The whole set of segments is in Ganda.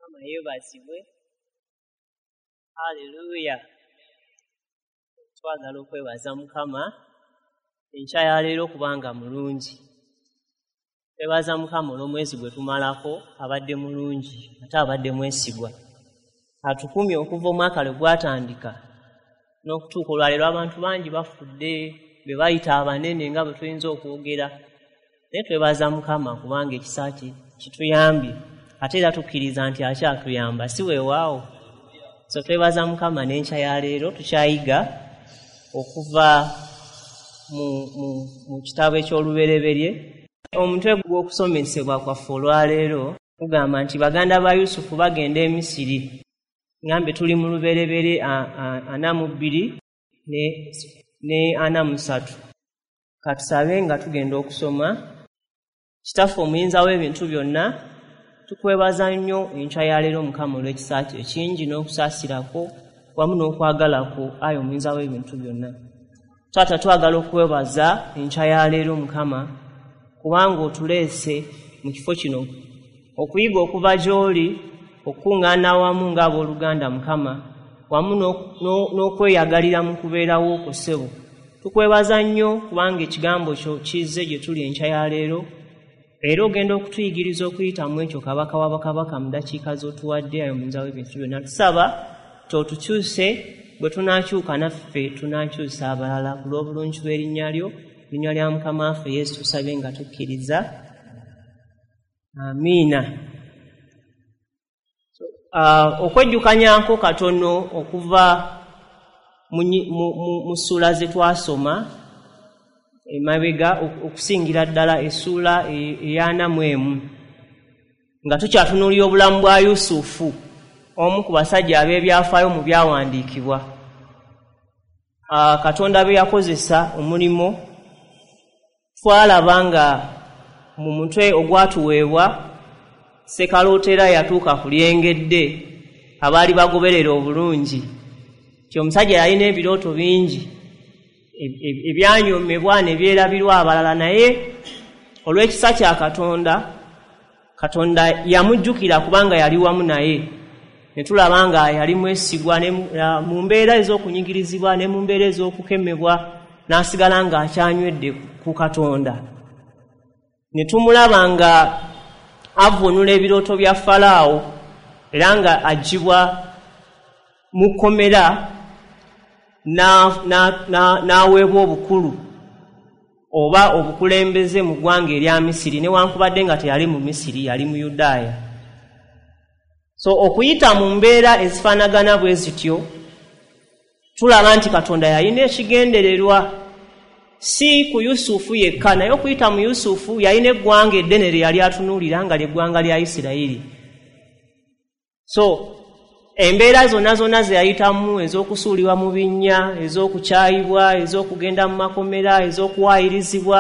Mukama yeebazibwe. Haleluya. Twagala okwebaza Mukama enkya ya leero kubanga mulungi. Twebaza Mukama olw'omwezi gwe tumalako, abadde mulungi ate abadde mwesigwa. Atukumye okuva omwaka lwe gwatandika n'okutuuka olwaleero. Abantu bangi bafudde, be bayita abanene nga bwe tuyinza okwogera, naye twebaza Mukama kubanga ekisa kye kituyambye, ate era tukkiriza nti akyatuyamba, si weewaawo. So twebaza Mukama n'enkya ya leero tukyayiga okuva mu kitabo eky'Olubereberye. Omutwe gw'okusomesebwa kwaffe olwaleero gugamba nti baganda ba Yusufu bagenda e Misiri. Ngambe tuli mu Lubereberye 42 ne 43. Katusabe nga tugenda okusoma. Kitaffe omuyinza w'ebintu byonna, tukwebaza nnyo enkya ya leero Mukama olw'ekisa kyo ekingi n'okusaasirako wamu n'okwagala kwo, ayi omuyinza w'ebintu byonna. Taata, twagala okwebaza enkya ya leero Mukama kubanga otuleese mu kifo kino okuyiga okuva gy'oli, okukuŋŋaana wamu ng'abooluganda Mukama, wamu n'okweyagalira mu kubeerawo okwo ssebo. Tukwebaza nnyo kubanga ekigambo kyo kizze gye tuli enkya ya leero, era ogenda okutuyigiriza okuyitamu ekyo Kabaka wa bakabaka mu ddakiika z'otuwadde, ayi omuyinza w'ebintu byonna. Tusaba tootukyuse, bwe tunaakyuka naffe tunaakyusa abalala ku lw'obulungi bw'erinnya lyo, linnya lya Mukama waffe Yesu tusabye nga tukkiriza. Amiina. Okwejjukanyanko katono okuva mu ssuula ze twasoma emabega, okusingira ddala essuula eya 41, nga tukyatunuulira obulamu bwa Yusufu, omu ku basajja ab'ebyafaayo mu byawandiikibwa, Katonda be yakozesa omulimu. Twalaba nga mu mutwe ogwatuweebwa Ssekalootera yatuuka ku lyengedde abaali bagoberera obulungi nti omusajja yalina ebirooto bingi ebyanyoomebwa ne byerabirwa abalala, naye olw'ekisa kya Katonda, Katonda yamujjukira kubanga yali wamu naye. Ne tulaba nga yali mwesigwa mu mbeera ez'okunyigirizibwa ne mu mbeera ez'okukemebwa, n'asigala ng'akyanywedde ku Katonda. Ne tumulaba nga avvuunula ebirooto bya Falaawo, era nga aggyibwa mu kkomera n'aweebwa obukulu oba obukulembeze mu ggwanga erya Misiri, newankubadde nga teyali mu Misiri, yali mu Yudaaya. So okuyita mu mbeera ezifaanagana bwe zityo, tulaba nti Katonda yalina ekigendererwa si ku Yusufu yekka, naye okuyita mu Yusufu yalina eggwanga eddene lye yali atunuulira, nga lyeggwanga lya Isirayiri. So embeera zonna zonna ze yayitamu, ez'okusuulibwa mu binnya, ez'okukyayibwa, ez'okugenda mu makomera, ez'okuwaayirizibwa,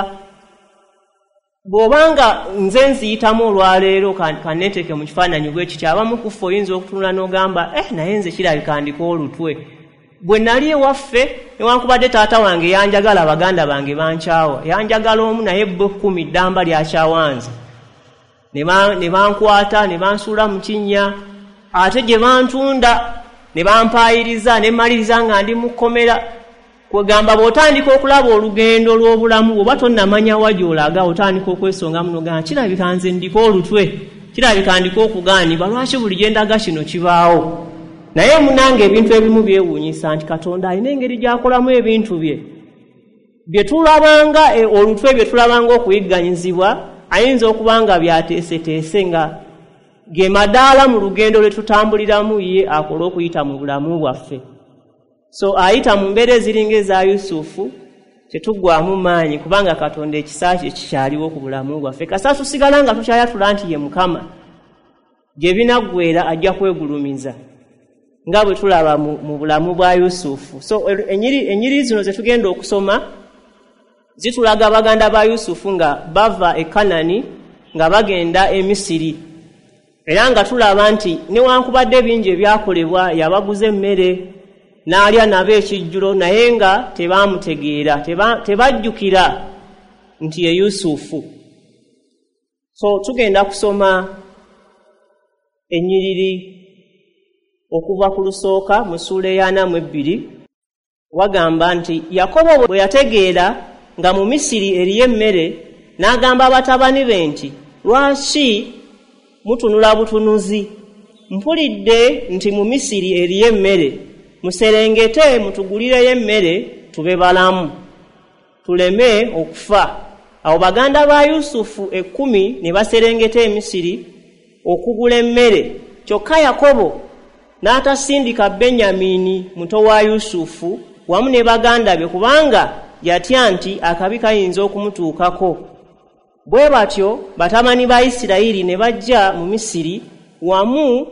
bw'obanga nze nziyitamu olwaleero, kanneeteeke mu kifaananyi bwe kityo, abamu ku ffe oyinza okutunula n'ogamba, "Eh, naye nze kirabika ndiko olutwe. Bwe nali ewaffe, newankubadde taata wange yanjagala, baganda bange bankyawa. Yanjagala omu, naye bo 10 ddamba lyakyawanze, ne bankwata ne bansuula mu kinnya, ate gye bantunda ne bampaayiriza, ne mmaliriza nga ndi mu kkomera." Kwegamba bw'otandika okulaba olugendo lw'obulamu, bw'oba tonnamanya wa gy'olaga, otandika okwesongamu nogamba, "Kirabika nze ndiko olutwe, kirabika ndiko okugaanibwa. Lwaki buli gye ndaga kino kibaawo?" Naye munange, ebintu ebimu byewuunyisa nti Katonda alina engeri gy'akolamu ebintu bye. Bye tulabanga olutwe, bye tulabanga okuyigganyizibwa, ayinza okuba nga byateeseteese nga ge madaala mu lugendo lwe tutambuliramu, ye akole okuyita mu bulamu bwaffe. So ayita mu mbeera eziringa eza Yusufu, tetuggwamu maanyi, kubanga Katonda ekisa kye kikyaliwo ku bulamu bwaffe. Kasa tusigala nga tukyayatula nti ye Mukama, gye binaggwera ajja kwegulumiza, nga bwe tulaba mu bulamu bwa Yusufu. So enyiri zino ze tugenda okusoma zitulaga baganda ba Yusufu nga bava e Kanani nga bagenda e Misiri, era nga tulaba nti newankubadde bingi ebyakolebwa, yabaguza emmere n'alya nabo ekijjulo, naye nga tebamutegeera, tebajjukira nti ye Yusufu. So tugenda kusoma. Ennyiriri okuva ku lusooka mu ssuula eya 42 wagamba nti Yakobo bwe yategeera nga mu Misiri eriyo emmere, n'agamba batabani be nti, "Lwaki mutunula butunuzi? Mpulidde nti mu Misiri eriyo emmere. Muserengete mutugulireyo emmere, tube balamu, tuleme okufa." Awo baganda ba Yusufu 10 ne baserengeta e Misiri okugula emmere. Kyokka Yakobo n'atasindika Benyamini muto wa Yusufu wamu ne baganda be, kubanga yatya nti akabi kayinza okumutuukako. Bwe batyo batabani ba Isirayiri ne bajja mu Misiri wamu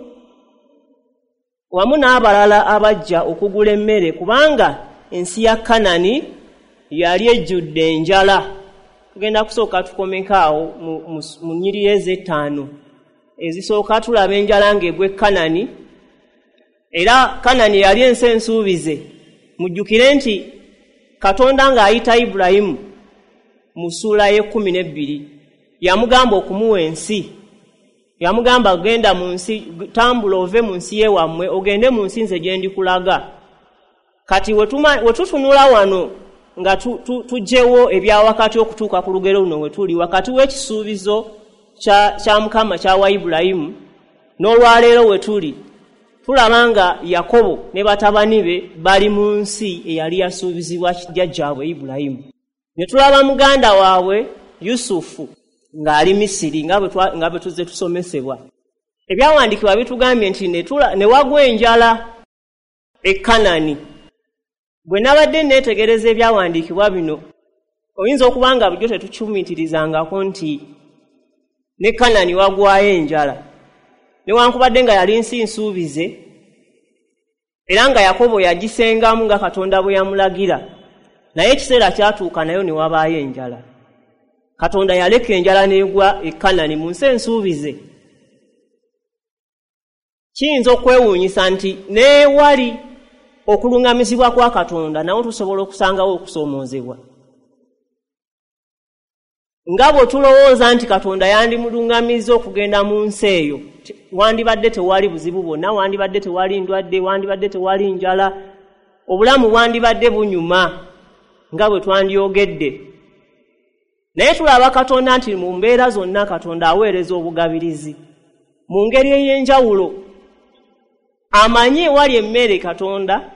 n'abalala abajja okugula emmere, kubanga ensi ya Kanani yali ejjudde enjala. Tugenda kusooka tukomeko awo mu nnyiriri ez'ettaano ezisooka. Tulaba enjala ng'egwa e Kanani, era Kanani yali ensi ensuubize. Mujjukire nti Katonda ng'ayita Ibulayimu mu ssuula y'e 12 yamugamba okumuwa ensi. Yamugamba, "Genda mu nsi, tambula ove mu nsi yewammwe, ogende mu nsi nze gye ndikulaga." Kati we tutunula wano nga tuggyewo ebyawakati okutuuka ku lugero luno, we tuli wakati w'ekisuubizo kya Mukama kyawa Ibulayimu n'olwaleero we tuli, tulaba nga Yakobo ne batabani be bali mu nsi eyali yasuubizibwa jjajjaabwe Ibulayimu, ne tulaba muganda waabwe Yusufu ng'ali Misiri, nga bwe tuzze tusomesebwa. Ebyawandiikibwa bitugambye nti ne wagwa enjala e Kanani. Bwe nabadde neetegereza ebyawandiikibwa bino, oyinza okuba nga bulijjo tetukyumitirizangako nti ne Kanani wagwayo enjala, newankubadde nga yali nsi nsuubize, era nga Yakobo yagisengamu nga Katonda bwe yamulagira. Naye ekiseera kyatuuka nayo ne wabaayo enjala. Katonda yaleka enjala n'egwa e Kanani, mu nsi ensuubize. Kiyinza okwewuunyisa nti neewali okuluŋŋamizibwa kwa Katonda, nawo tusobola okusangawo okusoomoozebwa. Nga bwe tulowooza nti Katonda yandimuluŋŋamizza okugenda mu nsi eyo, wandibadde tewali buzibu bwonna, wandibadde tewali ndwadde, wandibadde tewali njala, obulamu bwandibadde bunyuma nga bwe twandyogedde. Naye tulaba Katonda nti mu mbeera zonna Katonda aweereza obugabirizi mu ngeri ey'enjawulo. Amanyi ewali emmere Katonda,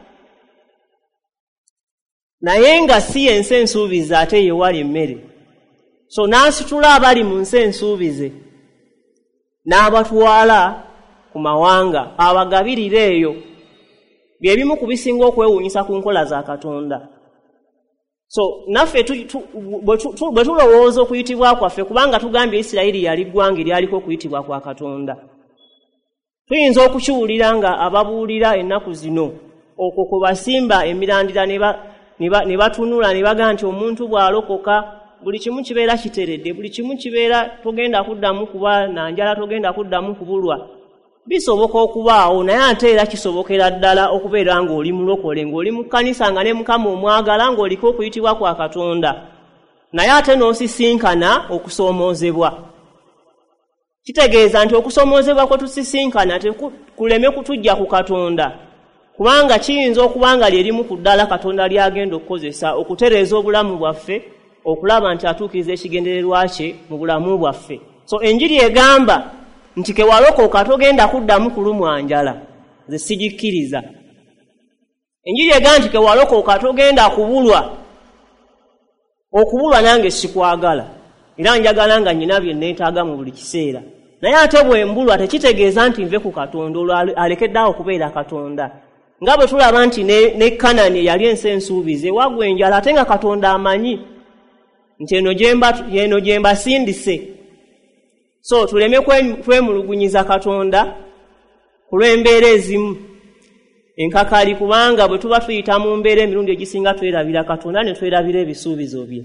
naye nga si yensi ensuubize ate yewali emmere. So n'asitula abali mu nsi ensuubize n'abatwala ku mawanga abagabirire eyo. Bye bimu ku bisinga okwewuunyisa ku nkola za Katonda. So naffe bwe tulowooza okuyitibwa kwaffe, kubanga tugambye Isirayiri yali ggwanga eryaliko okuyitibwa kwa Katonda, tuyinza okukiwulira nga ababuulira ennaku zino okwo kwe basimba emirandira ne batunula ne bagamba nti omuntu bw'alokoka buli kimu kibeera kiteredde, buli kimu kibeera, togenda kuddamu kuba na njala, togenda kuddamu kubulwa. Bisoboka okubaawo, naye ate era kisobokera ddala okubeera ng'oli mulokole, ng'oli mu kkanisa, nga ne Mukama omwagala, ng'oliko okuyitibwa kwa Katonda, naye ate n'osisinkana okusoomoozebwa. Kitegeeza nti okusoomoozebwa kwe tusisinkana kuleme kutujja ku Katonda, kubanga kiyinza okuba nga lye limu ku ddala Katonda ly'agenda okukozesa okutereeza obulamu bwaffe, okulaba nti atuukiriza ekigendererwa kye mu bulamu bwaffe. So enjiri egamba nti kewalokoka togenda kuddamu kulumwa njala, nze sigikkiriza. Enjiri egamba nti kewalokoka togenda kubulwa, okubulwa nange sikwagala, era njagala nga nyina bye neetaaga mu buli kiseera. Naye ate bwe mbulwa tekitegeeza nti nve ku Katonda, olwo alekeddeawo okubeera Katonda. Nga bwe tulaba nti ne Kanani eyali ensi ensuubize wagwa enjala, ate nga Katonda amanyi nti eno gye mbasindise. So tuleme kwemulugunyiza Katonda ku lw'embeera ezimu enkakali, kubanga bwe tuba tuyita mu mbeera, emirundi egisinga twerabira Katonda ne twerabira ebisuubizo bye.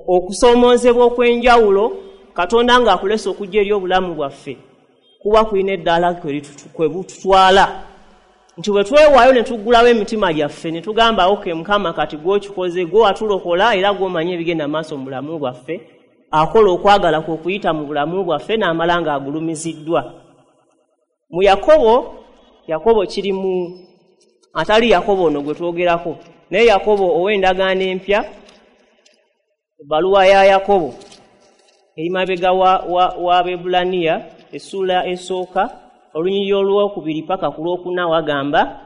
Okusoomoozebwa okw'enjawulo Katonda ng'akulesa okujja eri obulamu bwaffe kuba kulina eddaala kwe bututwala, nti bwe twewaayo ne tuggulawo emitima gyaffe ne tugamba, "Okay Mukama, kati gw'okikoze, gwe watulokola era gw'omanyi ebigenda maaso mu bulamu bwaffe." akola okwagala kwe okuyita mu bulamu bwaffe n'amala ng'agulumiziddwa. Mu Yakobo, Yakobo kiri mu atali Yakobo ono gwe twogerako, naye Yakobo ow'endagaano empya, ebbaluwa ya Yakobo eri mabega wa Abaebbulaniya, essuula esooka olunyiriri olwokubiri paka ku lwokuna, wagamba,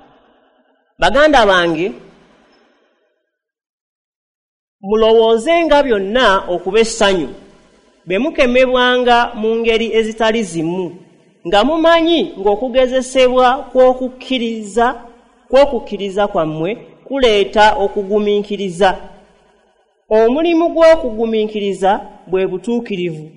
baganda bange, mulowoozenga byonna okuba essanyu bwe mukemebwanga mu ngeri ezitali zimu, nga mumanyi ng'okugezesebwa kw'okukkiriza kwammwe kuleeta okugumiikiriza. Omulimu gw'okugumiikiriza bwe butuukirivu,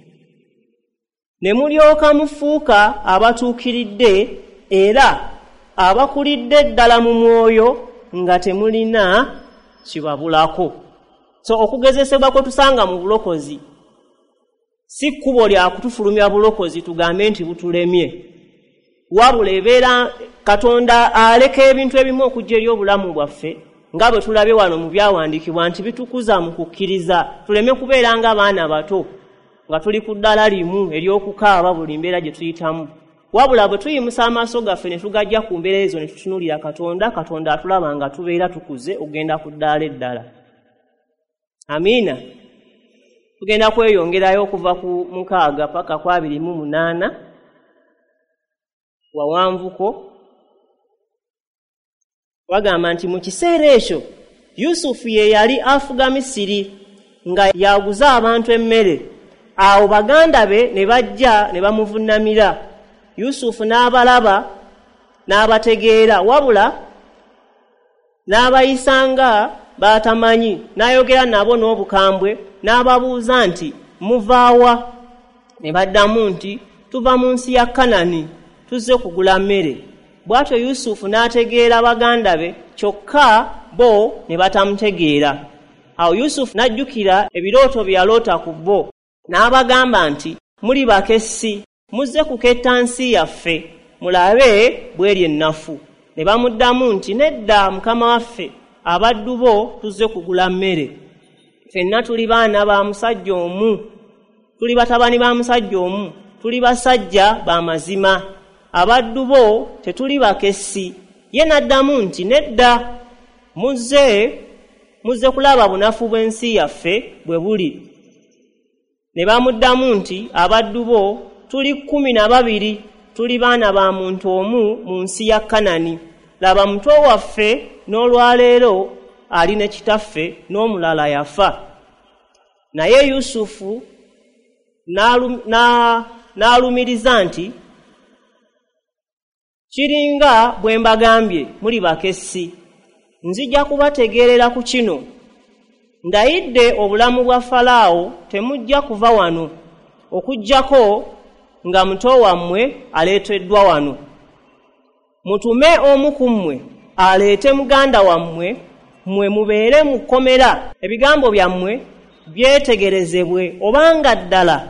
ne mulyoka mufuuka abatuukiridde era abakulidde ddala mu mwoyo nga temulina kibabulako. So okugezesebwa kwe tusanga mu bulokozi si kkubo lya kutufulumya bulokozi tugambe nti butulemye, wabula ebeera Katonda aleka ebintu ebimu okujja eri obulamu bwaffe nga bwe tulabye wano mu byawandiikibwa nti bitukuza mu kukkiriza, tuleme kubeera nga baana bato nga tuli ku ddala limu ery'okukaaba buli mbeera gye tuyitamu, wabula bwe tuyimusa amaaso gaffe ne tugajja ku mbeera ezo ne tutunuulira Katonda, Katonda atulaba nga tubeera tukuze okugenda ku ddaala eddala. Amiina. Tugenda kweyongerayo okuva ku 6 paka ku 28 wawanvuko. Wagamba nti mu kiseera ekyo Yusufu ye yali afuga Misiri nga yaguza abantu emmere. Awo baganda be ne bajja ne bamuvunnamira. Yusufu n'abalaba n'abategeera, wabula n'abayisanga batamanyi, n'ayogera nabo n'obukambwe, n'ababuuza nti muvaawa? Ne baddamu nti tuva mu nsi ya Kanani, tuzze kugula mmere. Bw'atyo Yusufu n'ategeera baganda be, kyokka bo ne batamutegeera. Awo Yusufu n'ajjukira ebirooto bye yaloota ku bo, n'abagamba nti muli bakessi, muzze kuketta nsi yaffe, mulabe bw'eri ennafu. Ne bamuddamu nti nedda mukama waffe, abaddu bo tuzze kugula mmere. Ffenna tuli baana ba musajja omu, tuli batabani ba musajja omu, tuli basajja ba mazima, abaddu bo tetuli bakessi. Ye n'addamu nti nedda, muzze kulaba bunafu bw'ensi yaffe bwe buli. Ne bamuddamu nti abaddu bo tuli 12, tuli baana ba muntu omu mu nsi ya Kanani. Laba muto waffe n'olwaleero ali ne kitaffe, n'omulala yafa. Naye Yusufu n'alumiriza nti kiringa bwe mbagambye, muli bakessi. Nzija kubategeerera ku kino, ndayidde obulamu bwa Falaawo, temujja kuva wano okuggyako nga muto wammwe aleeteddwa wano. Mutume omu ku mmwe aleete muganda wammwe, mmwe mubeere mu kkomera, ebigambo byammwe byetegerezebwe obanga ddala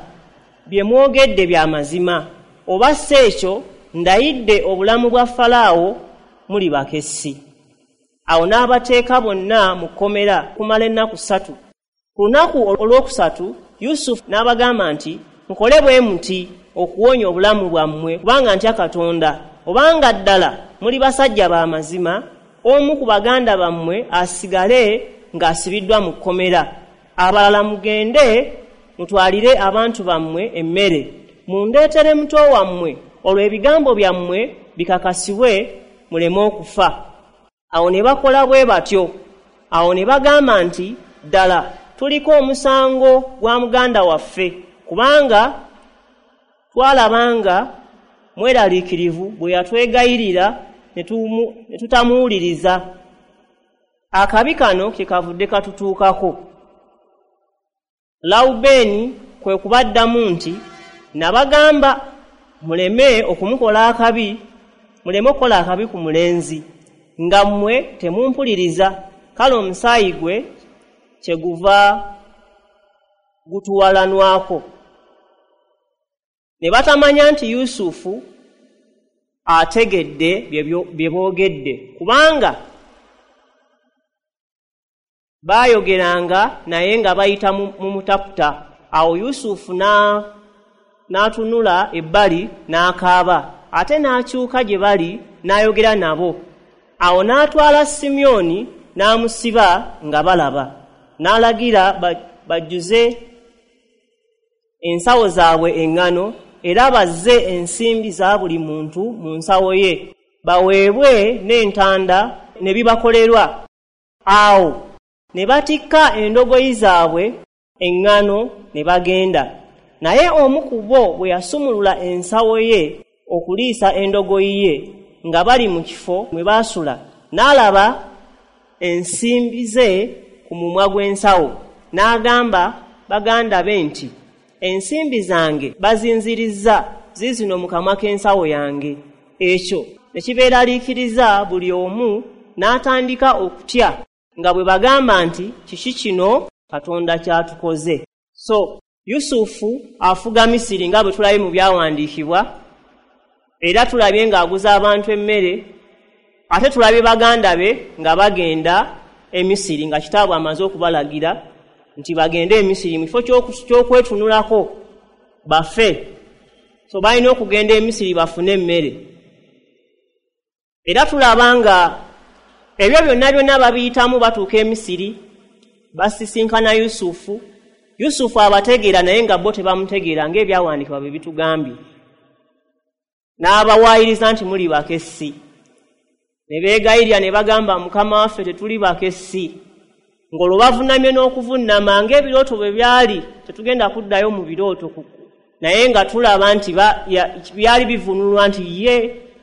bye mwogedde bya mazima, oba si ekyo ndayidde obulamu bwa Falaawo, muli bakessi. Awo n'abateeka bonna mu kkomera kumala ennaku 3. Ku lunaku olwokusatu Yusufu n'abagamba nti mukole bwe muti okuwonya obulamu bwammwe, kubanga ntya Katonda. Obanga ddala muli basajja ba mazima, omu ku baganda bammwe asigale ng'asibiddwa mu kkomera, abalala mugende mutwalire abantu bammwe emmere, mundeetere muto wammwe, olwo ebigambo byammwe bikakasibwe muleme okufa. Awo ne bakola bwe batyo. Awo ne bagamba nti ddala tuliko omusango gwa muganda waffe, kubanga twalabanga mweraliikirivu bwe yatwegayirira ne tutamuwuliriza. Akabi kano ke kavudde katutuukako. Lawubeeni kwe kubaddamu nti nabagamba muleme okumukola akabi, muleme okukola akabi ku mulenzi, nga mmwe temumpuliriza, kale omusaayi gwe kyeguva gutuwalanwako. Ne batamanya nti Yusufu ategedde bye boogedde, kubanga baayogeranga naye nga bayita mu mutaputa. Awo Yusufu n'atunula ebbali n'akaaba, ate n'akyuka gye bali n'ayogera nabo. Awo n'atwala Simyoni n'amusiba nga balaba, n'alagira bajjuze ensawo zaabwe eŋŋano, era bazze ensimbi za buli muntu mu nsawo ye, baweebwe n'entanda ne bibakolerwa. Awo ne batikka endogoyi zaabwe eŋŋano ne bagenda. Naye omu ku bo bwe yasumulula ensawo ye okuliisa endogoyi ye nga bali mu kifo mwe baasula, n'alaba ensimbi ze ku mumwa gw'ensawo, n'agamba baganda be nti, ensimbi zange bazinzirizza, ziizino mu kamwa k'ensawo yange. Ekyo ne kibeeraliikiriza buli omu, n'atandika okutya nga bwe bagamba nti, kiki kino Katonda ky'atukoze? So Yusufu afuga Misiri nga bwe tulabye mu byawandiikibwa, era tulabye ng'aguza abantu emmere, ate tulabye baganda be nga bagenda e Misiri nga kitaabwe amaze okubalagira nti bagende e Misiri mu kifo ky'okwetunulako bafe. So balina okugenda e Misiri bafune emmere. Era tulaba nga ebyo byonna byonna babiyitamu, batuuka e Misiri, basisinkana Yusufu. Yusufu abategeera naye nga bo tebamutegeera ng'ebyawandiikibwa bwe bitugambye. N'abawaayiriza nti muli bakessi. Ne beegayirira ne bagamba, Mukama waffe tetuli bakessi. Ng'olwo bavunnamye n'okuvunnama ng'ebirooto bwe byali, tetugenda kuddayo mu birooto, naye nga tulaba nti byali bivunulwa nti ye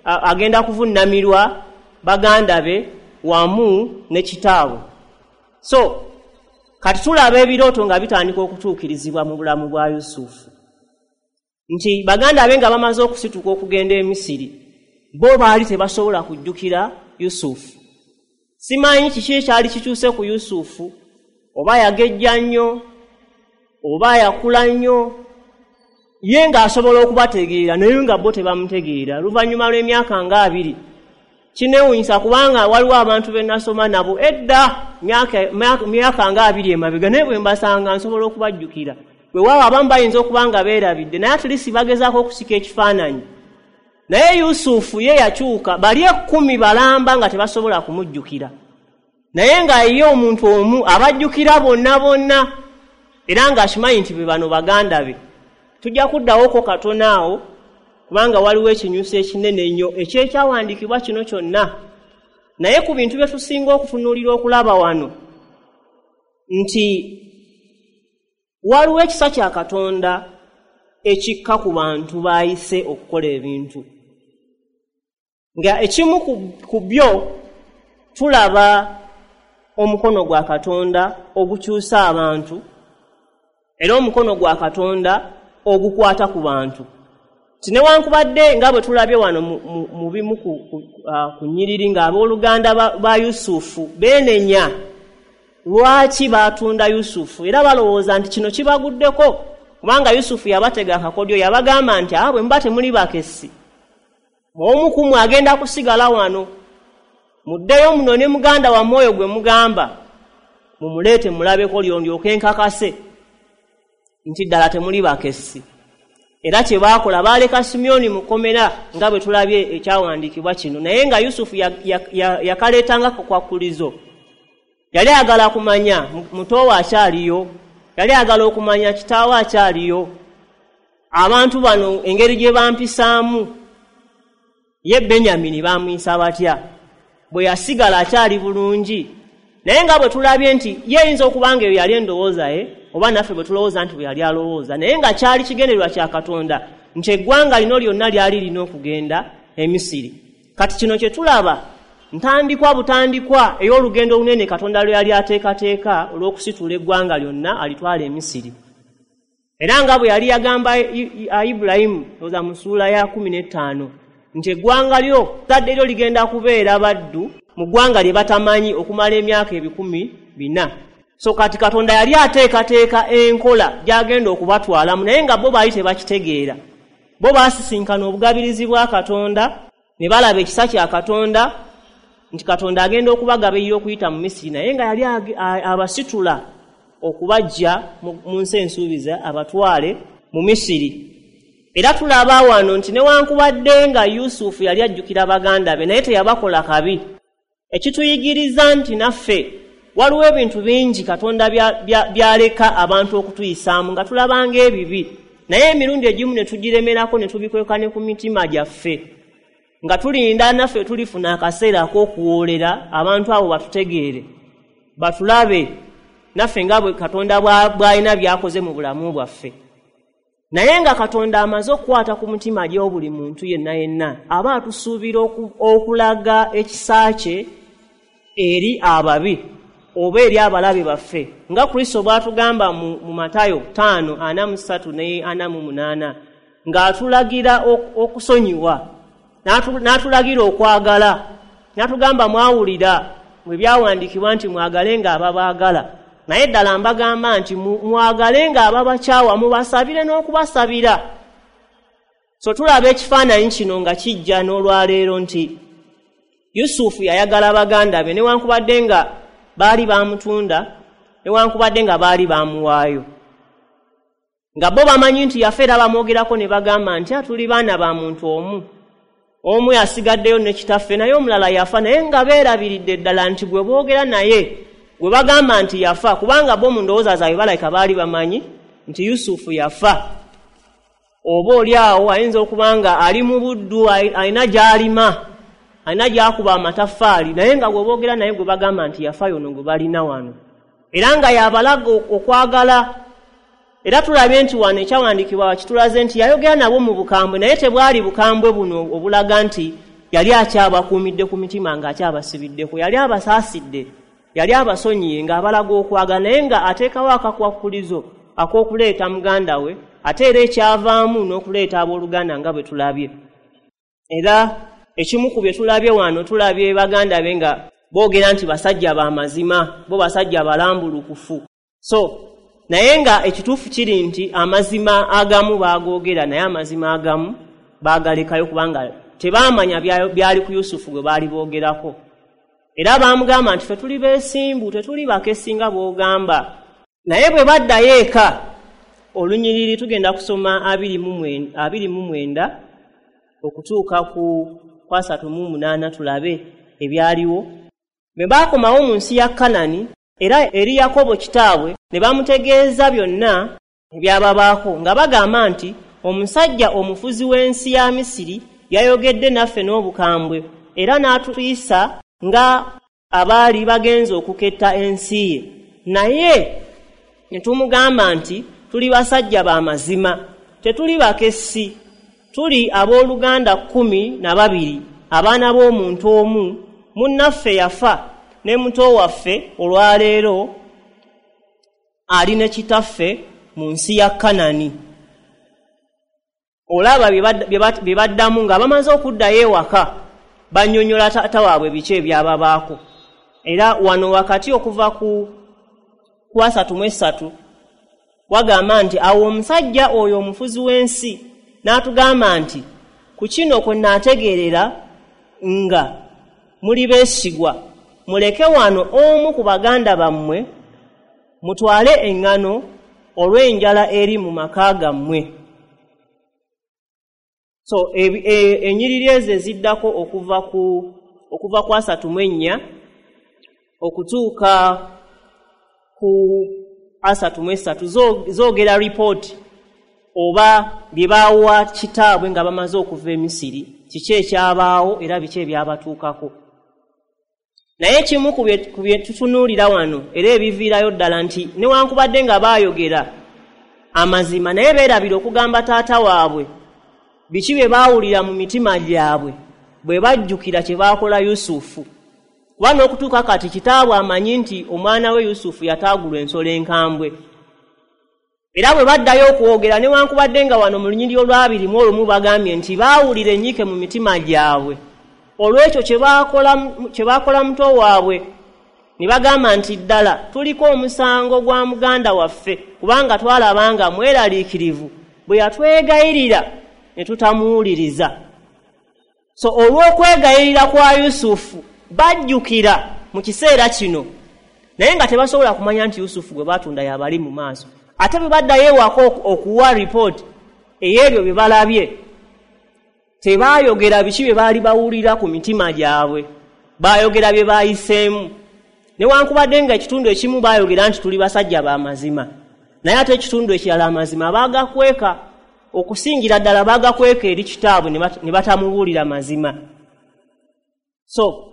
agenda kuvunnamirwa baganda be wamu ne kitaabwe. So kati tulaba ebirooto nga bitandika okutuukirizibwa mu bulamu bwa Yusufu, nti baganda be nga bamaze okusituka okugenda e Misiri, bo baali tebasobola kujjukira Yusufu. Simanyi kiki ekyali kikyuse ku Yusufu, oba yagejja nnyo oba yakula nnyo, ye ng'asobola okubategeera naye nga bo tebamutegeera. Oluvannyuma lw'emyaka nga 20, kineewuunyisa kubanga waliwo abantu be nasoma nabo edda myaka nga 20 emabega, naye bwe mbasanga nsobola okubajjukira. Weewaawo abamu bayinza okuba nga beerabidde, naye at least bagezaako okusika ekifaananyi. Naye Yusufu ye yakyuka, bali 10 balamba nga tebasobola kumujjukira, naye nga ye omuntu omu abajjukira bonna bonna, era ng'akimanyi nti be bano baganda be. Tujja kuddawoko katono awo kubanga waliwo ekinyusi ekinene ennyo ekyekyawandiikibwa kino kyonna. Naye ku bintu bye tusinga okutunuulira okulaba wano nti waliwo ekisa kya Katonda ekikka ku bantu baayise okukola ebintu, nga ekimu ku byo tulaba omukono gwa Katonda ogukyusa abantu, era omukono gwa Katonda ogukwata ku bantu. Newankubadde nga bwe tulabye wano mu bimu ku nnyiriri ng'abooluganda ba Yusufu beenenya lwaki baatunda Yusufu, era balowooza nti kino kibaguddeko kubanga Yusufu yabatega akakodyo, yabagamba nti bwe muba temuli bakessi, omu ku mmwe agenda kusigala wano, muddeyo muno ne muganda wammwe oyo gwe mugamba mumuleete mulabeko lyondyoke nkakase nti ddala temuli bakessi. Era kye baakola baaleka Simyoni mu kkomera nga bwe tulabye ekyawandiikibwa kino, naye nga Yusufu yakaleetanga kakwakulizo. Yali ayagala kumanya muto we akyaliyo, yali ayagala okumanya kitaawe akyaliyo, abantu bano engeri gye bampisaamu, ye Benyamini baamuyisa batya bwe yasigala akyali bulungi. Naye nga bwe tulabye nti ye eyinza okuba nga eyo yali endowooza ye, oba naffe bwe tulowooza nti bwe yali alowooza, naye nga kyali kigendererwa kya Katonda nti eggwanga lino lyonna lyali lirina okugenda e Misiri. Kati kino kye tulaba ntandikwa butandikwa ey'olugendo olunene Katonda lwe yali ateekateeka olw'okusitula eggwanga lyonna alitwala e Misiri. Era nga bwe yali yagamba Ibulayimu oza mu ssuula ya 15 nti eggwanga lyo zzadde lyo ligenda kubeera baddu mu ggwanga lye batamanyi okumala emyaka 400. So kati Katonda yali ateekateeka enkola gy'agenda okubatwalamu, naye nga bo baali tebakitegeera. Bo baasisinkana obugabirizi bwa Katonda ne balaba ekisa kya Katonda nti Katonda agenda okubagabirira okuyita mu Misiri, naye nga yali abasitula okubaggya mu nsi ensuubiza abatwale mu Misiri. Era tulaba wano nti newankubadde nga Yusufu yali ajjukira baganda be, naye teyabakola kabi. Ekituyigiriza nti naffe waliwo ebintu bingi Katonda byaleka abantu okutuyisaamu nga tulabanga ebibi, naye emirundi egimu ne tugiremerako ne tubikweka ne ku mitima gyaffe, nga tulinda naffe tulifuna akaseera ak'okuwoolera abantu abo batutegeere, batulabe naffe nga bwe Katonda bw'alina by'akoze mu bulamu bwaffe. Naye nga Katonda amaze okukwata ku mutima gy'obuli muntu yenna yenna, aba atusuubira okulaga ekisa kye eri ababi oba eri abalabe baffe, nga Kristo bw'atugamba mu Matayo 5:43 ne 48, ng'atulagira okusonyiwa, n'atulagira okwagala, n'atugamba mwawulira bwe byawandiikibwa nti mwagalenga ababaagala, naye ddala mbagamba nti mwagalenga ababakyawa, mubasabire n'okubasabira. So tulaba ekifaananyi kino nga kijja n'olwaleero nti Yusufu yayagala baganda be newankubadde nga baali bamutunda, newankubadde nga baali bamuwaayo, nga bo bamanyi nti yafa, era bamwogerako ne bagamba nti tuli baana ba muntu omu, omu yasigaddeyo ne kitaffe naye omulala yafa, naye nga beerabiridde ddala nti gwe boogera naye gwe bagamba nti yafa, kubanga bo mu ndowooza zaabwe balabika baali bamanyi nti Yusufu yafa. Oba oli awo ayinza okuba nga ali mu buddu, alina gy'alima, alina gy'akuba amataffaali, naye nga gwe boogera naye gwe bagamba nti yafa yono gwe balina wano, era nga yabalaga okwagala. Era tulabye nti wano ekyawandiikibwa kitulaze nti yayogera nabo mu bukambwe, naye tebwali bukambwe buno obulaga nti yali akyabakuumidde ku mitima ng'akyabasibiddeko, yali abasaasidde, yali abasonyiye ng'abalaga okwagala, naye nga ateekawo akakwakkulizo ak'okuleeta muganda we, ate era ekyavaamu n'okuleeta abooluganda nga bwe tulabye. Era ekimu ku bye tulabye wano, tulabye baganda be nga boogera nti basajja ba mazima, bo basajja balambulukufu. So naye nga ekituufu kiri nti amazima agamu baagoogera, naye amazima agamu baagalekayo kubanga tebaamanya byali ku Yusufu gwe baali boogerako. Era baamugamba nti ffe tuli beesimbu, tetuli bakessi nga bw'ogamba. Naye bwe baddayo eka, olunyiriri tugenda kusoma 29 okutuuka ku 38 tulabe ebyaliwo. Bwe baakomawo mu nsi ya Kanani, era eri Yakobo kitaabwe ne bamutegeeza byonna ebyababaako, nga bagamba nti omusajja omufuzi w'ensi ya Misiri yayogedde naffe n'obukambwe, era n'atuyisa nga abaali bagenze okuketta ensi ye. Naye ne tumugamba nti tuli basajja ba mazima, tetuli bakessi, tuli abooluganda 12, abaana b'omuntu omu, munnaffe yafa ne muto waffe olwaleero ali ne kitaffe mu nsi ya Kanani. Olaba bye baddamu nga bamaze okuddayo ewaka, bannyonnyola taata waabwe biki ebyababaako. Era wano wakati okuva ku 33 wagamba nti awo omusajja oyo omufuzi w'ensi n'atugamba nti ku kino kwe naategeerera nga muli beesigwa, muleke wano omu ku baganda bammwe mutwale eŋŋano olw'enjala eri mu maka gammwe. So ennyiriri ezo eziddako okuva ku 34 okutuuka ku 33 zoogera ripooti oba bye baawa kitaabwe nga bamaze okuva e Misiri, kiki ekyabaawo era biki ebyabatuukako. Naye ekimu ku bye tutunuulira wano era ebiviirayo ddala nti newankubadde nga baayogera amazima, naye beerabira okugamba taata waabwe biki bye baawulira mu mitima gyabwe bwe bajjukira kye baakola Yusufu. Kuba n'okutuuka kati kitaabwe amanyi nti omwana we Yusufu yataagulwa ensolo enkambwe. Era bwe baddayo okwogera, newankubadde nga wano mu lunyiriri olw'21 bagambye nti baawulira ennyiike mu mitima gyabwe olw'ekyo kye baakola muto waabwe, ne bagamba nti ddala tuliko omusango gwa muganda waffe, kubanga twalabanga mweraliikirivu bwe yatwegayirira ne tutamuwuliriza. So olw'okwegayirira kwa Yusufu bajjukira mu kiseera kino Naye nga tebasobola kumanya nti Yusufu gwe baatunda y'abali mu maaso. Ate bwe baddayo ewaka okuwa ripooti ey'ebyo bye balabye, tebaayogera biki bye baali bawulira ku mitima gyabwe, baayogera bye baayiseemu. Newankubadde nga ekitundu ekimu baayogera nti tuli basajja ba mazima, naye ate ekitundu ekirala amazima baagakweka, okusingira ddala baagakweka eri kitaabwe ne batamubuulira mazima. So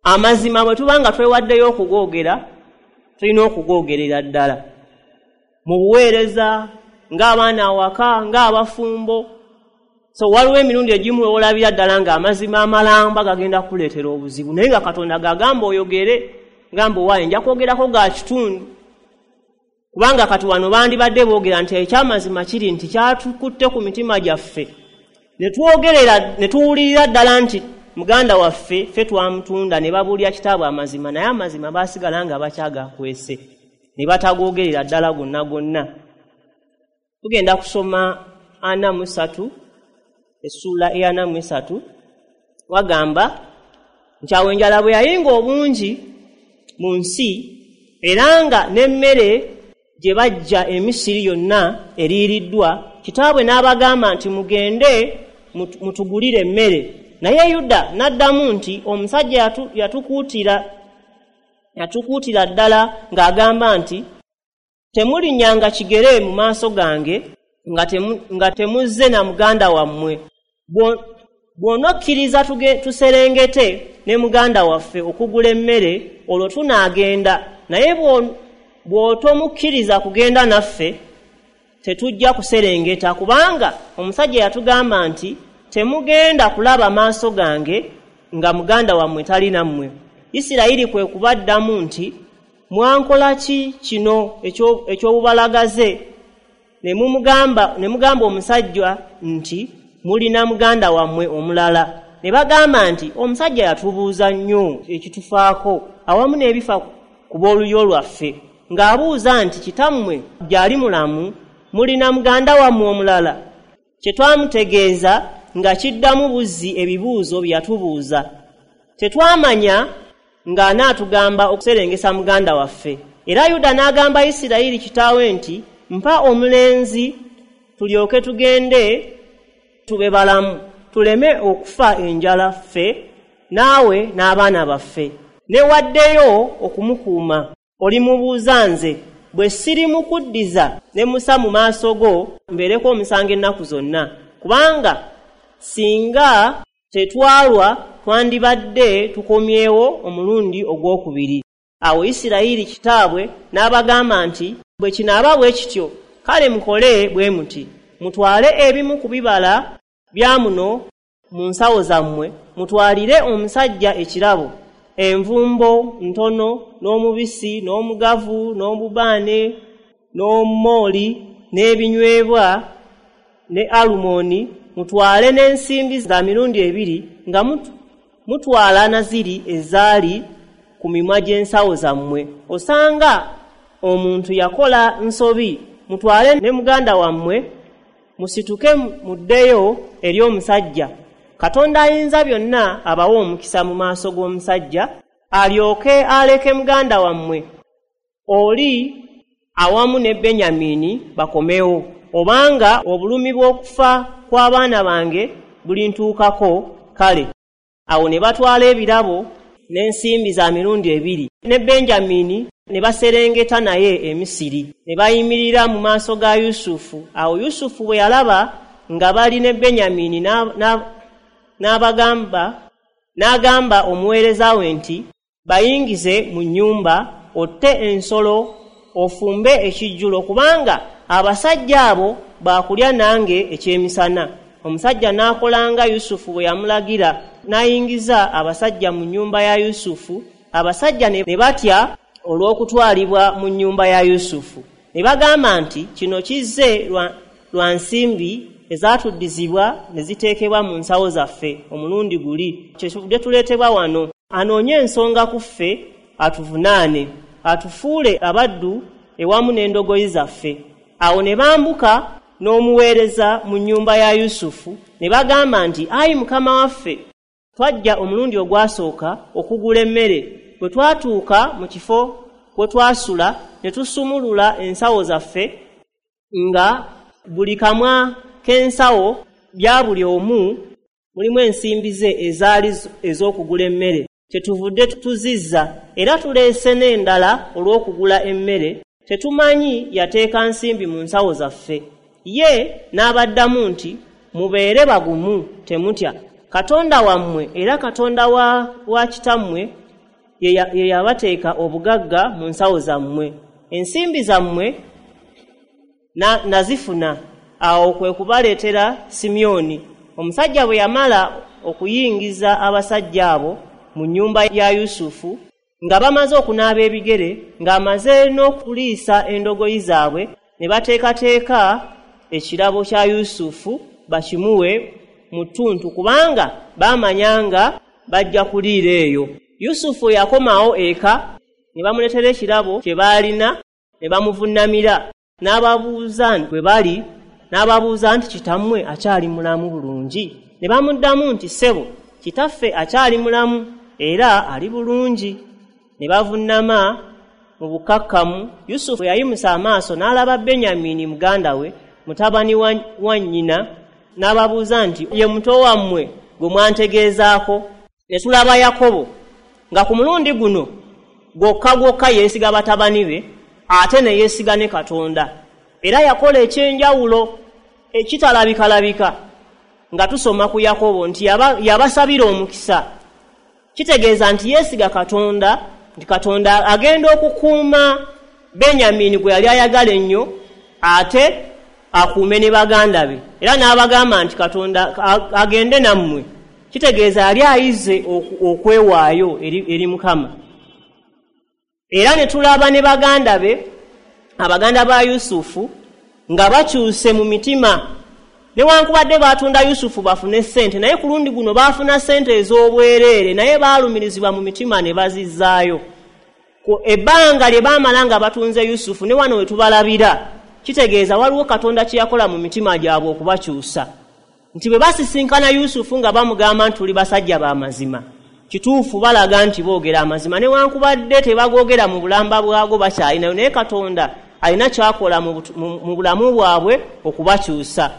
amazima bwe tuba nga twewaddeyo okugoogera, tulina okugoogerera ddala mu buweereza, ng'abaana awaka, ng'abafumbo. So waliwo emirundi egimu olabira ddala ng'amazima amalamba gagenda kukuleetera obuzibu, naye nga Katonda gagamba oyogere, ngamba owaaye nja kwogerako ga kitundu. Kubanga kati wano bandibadde boogera nti ekyamazima kiri nti kyatukutte ku mitima gyaffe, ne twogerera ne tuwulirira ddala nti muganda waffe ffe twamutunda, ne babuulira kitaabwe amazima, naye amazima baasigala nga bakyagakwese ne batagoogerera ddala gonna gonna. Tugenda kusoma 43, essuula eya 43. Wagamba nti awo enjala bwe yayinga obungi mu nsi, era nga n'emmere gye bajja e Misiri yonna eriiriddwa, kitaabwe n'abagamba nti mugende mutugulire emmere. Naye Yuda n'addamu nti omusajja yatukuutira ddala ng'agamba nti temulinnyanga kigere mu maaso gange nga temuzze na muganda wammwe. Bw'onokkiriza tuserengete ne muganda waffe okugula emmere, olwo tunaagenda, naye bw'otomukkiriza kugenda naffe tetujja kuserengeta, kubanga omusajja yatugamba nti temugenda kulaba maaso gange nga muganda wammwe tali nammwe. Isirayiri kwe kubaddamu nti mwankola ki kino eky'obubalagaze? Ne mugamba omusajja nti mulina muganda wammwe omulala. Ne bagamba nti omusajja yatubuuza nnyo ekitufaako awamu n'ebifa ku b'olulyo lwaffe, ng'abuuza nti kitammwe gy'ali mulamu, mulina muganda wammwe omulala? Kye twamutegeeza nga kiddamu buzzi ebibuuzo bye yatubuuza. Tetwamanya ng'anaatugamba okuserengesa muganda waffe. Era Yuda n'agamba Isirayiri kitaawe nti mpa omulenzi tulyoke tugende tube balamu, tuleme okufa enjala ffe naawe n'abaana baffe. Newaddeyo okumukuuma. Olimubuuza nze, bwe sirimukuddiza ne musa mu maaso go, mbeereko omusango ennaku zonna. Kubanga singa tetwalwa twandibadde tukomyewo omulundi ogwokubiri. Awo Isirayiri kitaabwe n'abagamba nti bwe kinaaba bwe kityo, kale mukole bwe muti, mutwale ebimu ku bibala bya muno mu nsawo zammwe, mutwalire omusajja ekirabo, envumbo ntono, n'omubisi, n'omugavu, n'obubaane, n'omumooli, n'ebinywebwa, ne alumoni, mutwale n'ensimbi za mirundi ebiri, nga mutwala na ziri ezaali ku mimwa gy'ensawo zammwe. Osanga omuntu yakola nsobi, mutwale ne muganda wammwe, musituke muddeyo eri omusajja. Katonda ayinza byonna abawe omukisa mu maaso g'omusajja, alyoke aleke muganda wammwe oli awamu ne Benyamini bakomewo, obanga obulumi bw'okufa kw'abaana bange bulintuukako. Kale awo ne batwala ebirabo n'ensimbi za mirundi ebiri, ne Benjamini ne baserengeta naye e Misiri, ne bayimirira mu maaso ga Yusufu. Awo Yusufu bwe yalaba nga bali ne Benyamini, n'agamba omuweereza we nti bayingize mu nnyumba, otte ensolo, ofumbe ekijjulo, kubanga abasajja abo baakulya nange ekyemisana. Omusajja n'akolanga Yusufu bwe yamulagira, n'ayingiza abasajja mu nnyumba ya Yusufu. Abasajja ne batya olw'okutwalibwa mu nnyumba ya Yusufu. Ne bagamba nti kino kizze lwa nsimbi ezatuddizibwa ne ziteekebwa mu nsawo zaffe omulundi guli, kyetuvudde tuleetebwa wano. Anoonye ensonga ku ffe, atuvunaane, atufuule abaddu ewamu n'endogoyi zaffe. Awo ne bambuka n'omuweereza mu nnyumba ya Yusufu, ne bagamba nti ayi mukama waffe, twajja omulundi ogwasooka okugula emmere, Bwe twatuuka mu kifo we twasula ne tusumulula ensawo zaffe, nga buli kamwa k'ensawo bya buli omu mulimu ensimbi ze ezaali ez'okugula emmere. Kyetuvudde tuzizza, era tuleese n'endala olw'okugula emmere. Tetumanyi yateeka nsimbi mu nsawo zaffe. Ye n'abaddamu nti, mubeere bagumu, temutya. Katonda wammwe era Katonda wa kitammwe ye yabateeka obugagga mu nsawo zammwe. Ensimbi zammwe nazifuna. Awo kwe kubaleetera Simyoni. Omusajja bwe yamala okuyingiza abasajja abo mu nnyumba ya Yusufu, nga bamaze okunaaba ebigere, ng'amaze n'okuliisa endogoyi zaabwe, ne bateekateeka ekirabo kya Yusufu bakimuwe mu ttuntu, kubanga baamanya nga bajja kuliira eyo. Yusufu yakomawo eka, ne bamuleetera ekirabo kye baalina, ne bamuvunnamira. N'ababuuza bwe bali, n'ababuuza nti, kitammwe akyali mulamu bulungi? Ne bamuddamu nti, ssebo, kitaffe akyali mulamu era ali bulungi. Ne bavunnama mu bukakkamu. Yusufu yayimusa amaaso n'alaba Benyamini muganda we, mutabani wa nnyina, n'ababuuza nti, ye muto wammwe gwe mwantegeezaako? Ne tulaba Yakobo nga ku mulundi guno gwokka gwokka yeesiga batabani be, ate ne yeesiga ne Katonda. Era yakola ekyenjawulo ekitalabikalabika nga tusoma ku Yakobo nti yabasabira omukisa. Kitegeeza nti yeesiga Katonda, nti Katonda agenda okukuuma Benyamini gwe yali ayagala ennyo, ate akuume ne baganda be. Era n'abagamba nti Katonda agende nammwe. Kitegeeza yali ayize okwewaayo eri Mukama. Era ne tulaba ne baganda be, abaganda ba Yusufu, nga bakyuse mu mitima. Newankubadde baatunda Yusufu bafune ssente, naye ku lundi guno baafuna ssente ez'obwereere, naye baalumirizibwa mu mitima ne bazizzaayo. Ebbanga lye baamala nga batunze Yusufu, ne wano we tubalabira, kitegeeza waliwo Katonda kye yakola mu mitima gyabwe okubakyusa. Nti bwe basisinkana Yusufu nga bamugamba nti tuli basajja ba mazima, kituufu balaga nti boogera amazima, newankubadde tebagoogera mu bulamba bwago bakyalinayo, naye Katonda alina ky'akola mu bulamu bwabwe okubakyusa.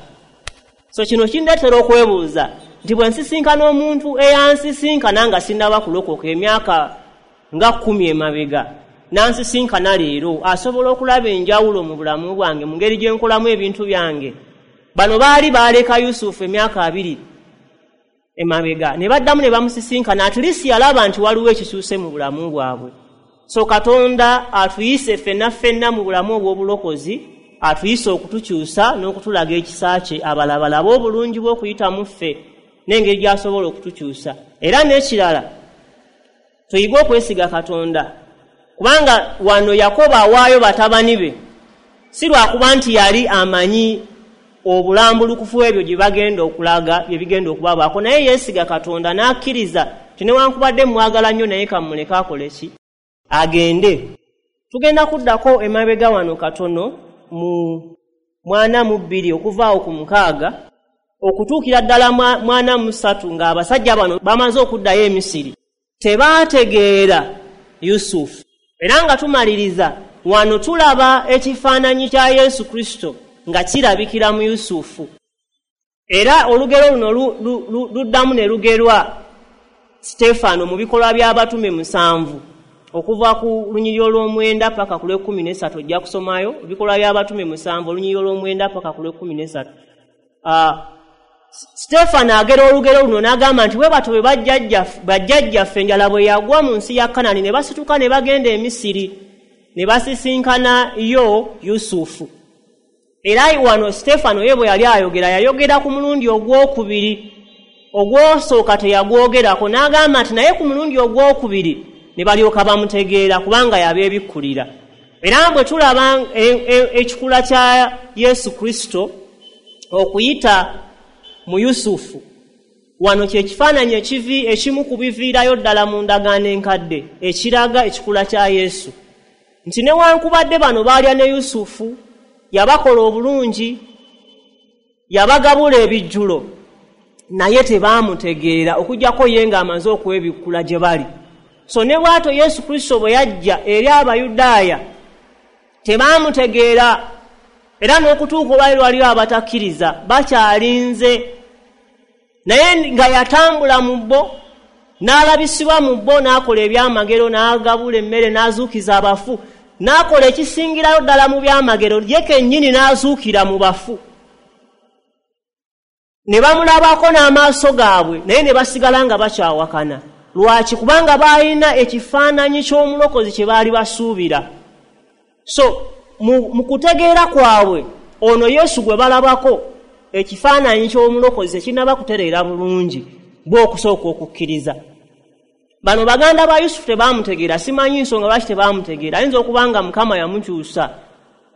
So kino kindeetera okwebuuza nti bwe nsisinkana omuntu eyansisinkana nga sinnaba kulokoka emyaka nga 10 emabega, n'ansisinkana leero, asobola okulaba enjawulo mu bulamu bwange, mu ngeri gye nkolamu ebintu byange. Bano baali baaleka Yusufu emyaka 2 emabega, ne baddamu ne bamusisinkana, at least yalaba nti waliwo ekikyuse mu bulamu bwabwe. So Katonda atuyise ffenna ffenna mu bulamu obw'obulokozi, atuyise okutukyusa n'okutulaga ekisa kye, abalala obulungi bw'okuyita mu ffe n'engeri gy'asobola okutukyusa. Era n'ekirala, tuyige okwesiga Katonda, kubanga wano Yakobo awaayo batabani be, si lwakuba nti yali amanyi obulambulukufu ebyo gye bagenda okulaga, bye bigenda okubabaako, naye yeesiga Katonda n'akkiriza nti newankubadde mwagala nnyo, naye kamuleke akole ki? Agende. Tugenda kuddako emabega wano katono mu 42 okuva awo ku 6 okutuukira ddala 43, ng'abasajja bano bamaze okuddayo e Misiri. Tebaategeera Yusufu. Era nga tumaliriza wano tulaba ekifaananyi kya Yesu Kristo nga kirabikira mu Yusufu. Era olugero luno luddamu ne lugerwa Stefano mu bikolwa by'abatume 7, okuva ku lunyiriri olw'omwenda paka ku lw'ekkumi n'esatu. Ojja kusomayo ebikolwa by'abatume 7, olunyiriri olw'omwenda paka ku lw'ekkumi n'esatu. Stefano agera olugero luno n'agamba nti bwe batyo bwe bajjajjaffe enjala bwe yagwa mu nsi ya Kanani, ne basituka ne bagenda e Misiri, ne basisinkana yo Yusufu. Era wano Stefano ye bwe yali ayogera, yayogera ku mulundi ogwokubiri. Ogwosooka teyagwogerako, n'agamba nti naye ku mulundi ogwokubiri ne balyoka bamutegeera, kubanga yabeebikkulira. Era bwe tulaba ekikula kya Yesu Kristo okuyita mu Yusufu, wano kye kifaananyi ekimu ku biviirayo ddala mu ndagaano enkadde ekiraga ekikula kya Yesu. Nti newankubadde bano baalya ne Yusufu, yabakola obulungi, yabagabula ebijjulo, naye tebaamutegeera okuggyako ye ng'amaze okwebikkula gye bali. So ne bw'atyo Yesu Kristo bwe yajja eri Abayudaaya tebaamutegeera, era n'okutuuka olwali waliyo abatakkiriza bakyalinze, naye nga yatambula mu bo, n'alabisibwa mu bo, n'akola ebyamagero, n'agabula emmere, n'azuukiza abafu, n'akola ekisingirayo ddala mu byamagero, ye kennyini n'azuukira mu bafu. Ne bamulabako n'amaaso gaabwe, naye ne basigala nga bakyawakana. Lwaki? Kubanga baalina ekifaananyi ky'omulokozi kye baali basuubira. So mu kutegeera kwabwe ono Yesu gwe balabako ekifaananyi ky'omulokozi ekinnaba kutereera bulungi bw'okusooka okukkiriza. Bano baganda ba Yusufu tebaamutegeera, simanyi nsonga lwaki tebaamutegeera. Ayinza okuba nga Mukama yamukyusa,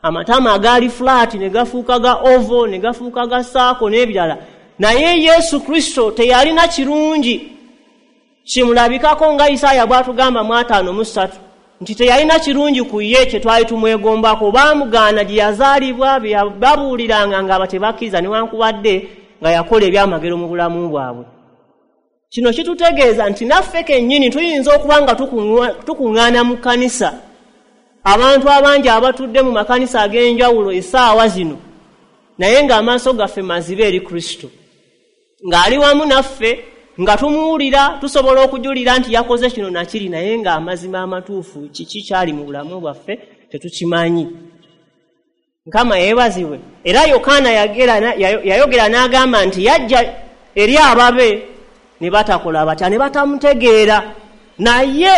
amatama agaali flat ne gafuuka ga ovo, ne gafuuka ga saako n'ebirala. Naye Yesu Kristo teyalina kirungi kimulabikako nga Isaaya bw'atugamba mu 53 nti teyalina kirungi ku ye kye twali tumwegombako. Baamugaana gye yazaalibwa, bye babuuliranga nga tebakkiriza, newankubadde nga yakola ebyamagero mu bulamu bwabwe. Kino kitutegeeza nti naffe kennyini tuyinza okuba nga tukuŋŋaana mu kkanisa, abantu abangi abatudde mu makanisa ag'enjawulo essaawa zino, naye ng'amaaso gaffe mazibe eri Kristo, ng'ali wamu naffe, nga tumuwulira, tusobola okujulira nti yakoze kino nakiri, naye ng'amazima amatuufu kiki kyali mu bulamu bwaffe tetukimanyi. Mukama yeebazibwe. Era Yokaana yayogera n'agamba nti yajja eri ababe ne batakola batya, ne batamutegeera, naye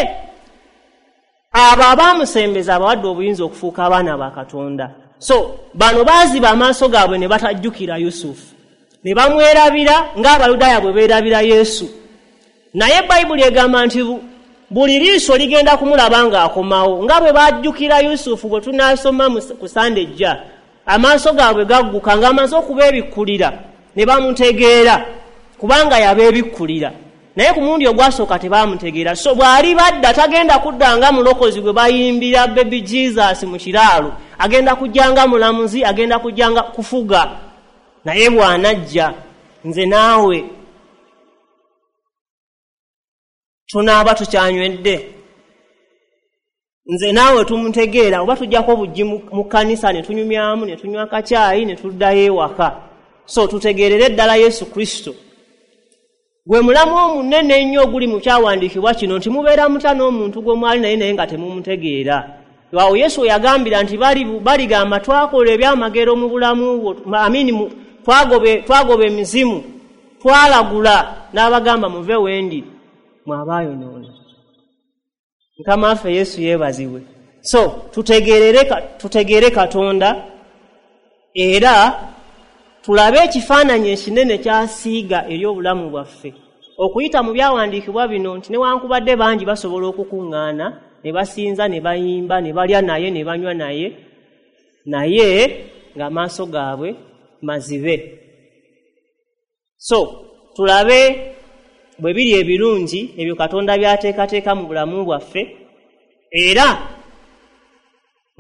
abo abaamusembeza abawadde obuyinza okufuuka abaana ba Katonda. So bano baaziba amaaso gaabwe ne batajjukira Yusufu, ne bamwerabira ng'Abayudaaya bwe beerabira Yesu. Naye Bayibuli egamba nti buli liiso ligenda kumulaba ng'akomawo, nga bwe bajjukira Yusufu bwe tunaasoma ku Sande ejja, amaaso gaabwe gagguka ng'amaze okubeebikkulira ne bamutegeera, kubanga yabeebikkulira. Naye ku mulundi ogwasooka tebaamutegeera. So bw'ali badda tagenda kudda nga mulokozi gwe bayimbira Baby Jesus mu kiraalo, agenda kujja nga mulamuzi, agenda kujja nga kufuga. Naye bw'anajja nze naawe tunaaba tukyanywedde, nze naawe tumutegeera, oba tujjako obuggi mu kkanisa ne tunyumyamu, ne tunywa kacaayi ne tuddayo ewaka. So tutegeerere ddala Yesu Kristo gwe mulamu omunene ennyo oguli mu kyawandiikibwa kino, nti mubeera mutya n'omuntu gwe mwali naye naye nga temumutegeera. Awo Yesu yagambira nti baligamba twakola ebyamagero mu bulamu bwo, amini twagoba emizimu, twalagula, n'abagamba muve wendi mwabaayonoona. Mukama waffe Yesu yeebazibwe. So tutegeere Katonda, era tulabe ekifaananyi ekinene ky'asiiga eri obulamu bwaffe okuyita mu byawandiikibwa bino, nti newankubadde bangi basobola okukuŋŋaana ne basinza, ne bayimba, ne balya naye, ne banywa naye, naye ng'amaaso gaabwe mazibe. So tulabe bwe biri ebirungi ebyo Katonda by'ateekateeka mu bulamu bwaffe, era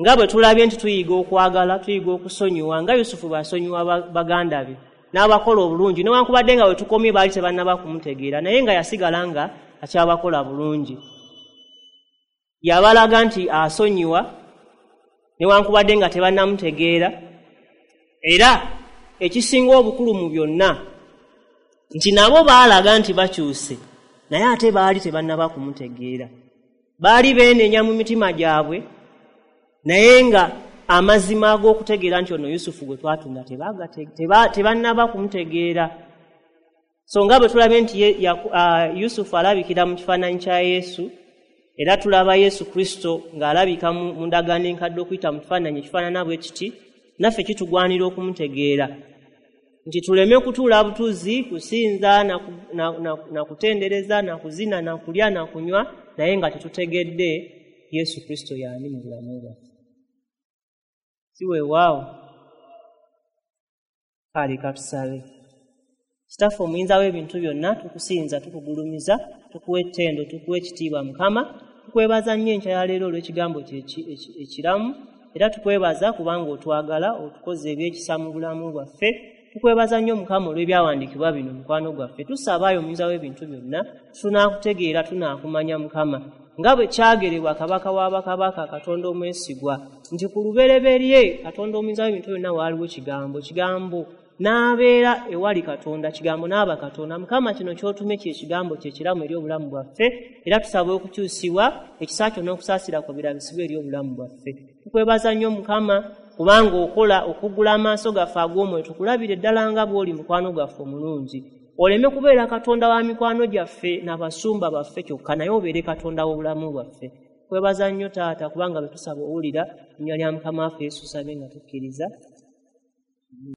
nga bwe tulabye nti tuyiga okwagala, tuyiga okusonyiwa, nga Yusufu bw'asonyiwa baganda be n'abakola obulungi, newankubadde nga we tukomye baali tebannaba kumutegeera, naye nga yasigala nga akyabakola bulungi. Yabalaga nti asonyiwa newankubadde nga tebannamutegeera, era ekisinga obukulu mu byonna nti nabo baalaga nti bakyuse, naye ate baali tebannaba kumutegeera. Baali beenenya mu mitima gyabwe, naye nga amazima ag'okutegeera nti ono Yusufu gwe twatunda tebannaba kumutegeera. So nga bwe tulabye nti Yusufu alabikira mu kifaananyi kya Yesu, era tulaba Yesu Kristo ng'alabika mu ndagaano enkadde okuyita mu kifaananyi ekifaanana bwe kiti, naffe kitugwanira okumutegeera, nti tuleme kutuula butuuzi kusinza na kutendereza na kuzina na kulya na kunywa, naye nga tetutegedde Yesu Kristo y'ani mu bulamu bwaffe. Si weewaawo? Kale katusabe. Kitaffe omuyinza w'ebintu byonna, tukusinza, tukugulumiza, tukuwa ettendo, tukuwa ekitiibwa Mukama. Tukwebaza nnyo enkya ya leero olw'ekigambo kye ekiramu, era tukwebaza kubanga otwagala, otukoze ebyekisa mu bulamu bwaffe. Tukwebaza nnyo Mukama olw'ebyawandiikibwa bino, mukwano gwaffe. Tusabaayo omuyinza w'ebintu byonna, tunaakutegeera, tunaakumanya Mukama. Nga bwe kyagerebwa Kabaka w'abakabaka, Katonda omwesigwa, nti ku lubereberye Katonda omuyinza w'ebintu byonna waaliwo Kigambo, Kigambo n'abeera ewali Katonda, Kigambo n'aba Katonda. Mukama, kino ky'otumye kye Kigambo kye kiramu eri obulamu bwaffe, era tusaba okukyusibwa, ekisa kyo n'okusaasira kwo birabisibwe eri obulamu bwaffe. Tukwebaza nnyo Mukama, kubanga okola okuggula amaaso gaffe ag'omwoyo, tukulabire ddala nga bw'oli mukwano gwaffe omulungi. Oleme kubeera Katonda wa mikwano gyaffe n'abasumba baffe kyokka, naye obeere Katonda w'obulamu bwaffe. Kwebaza nnyo Taata, kubanga bwe tusaba owulira. Linnya lya Mukama waffe Yesu tusabye nga tukkiriza.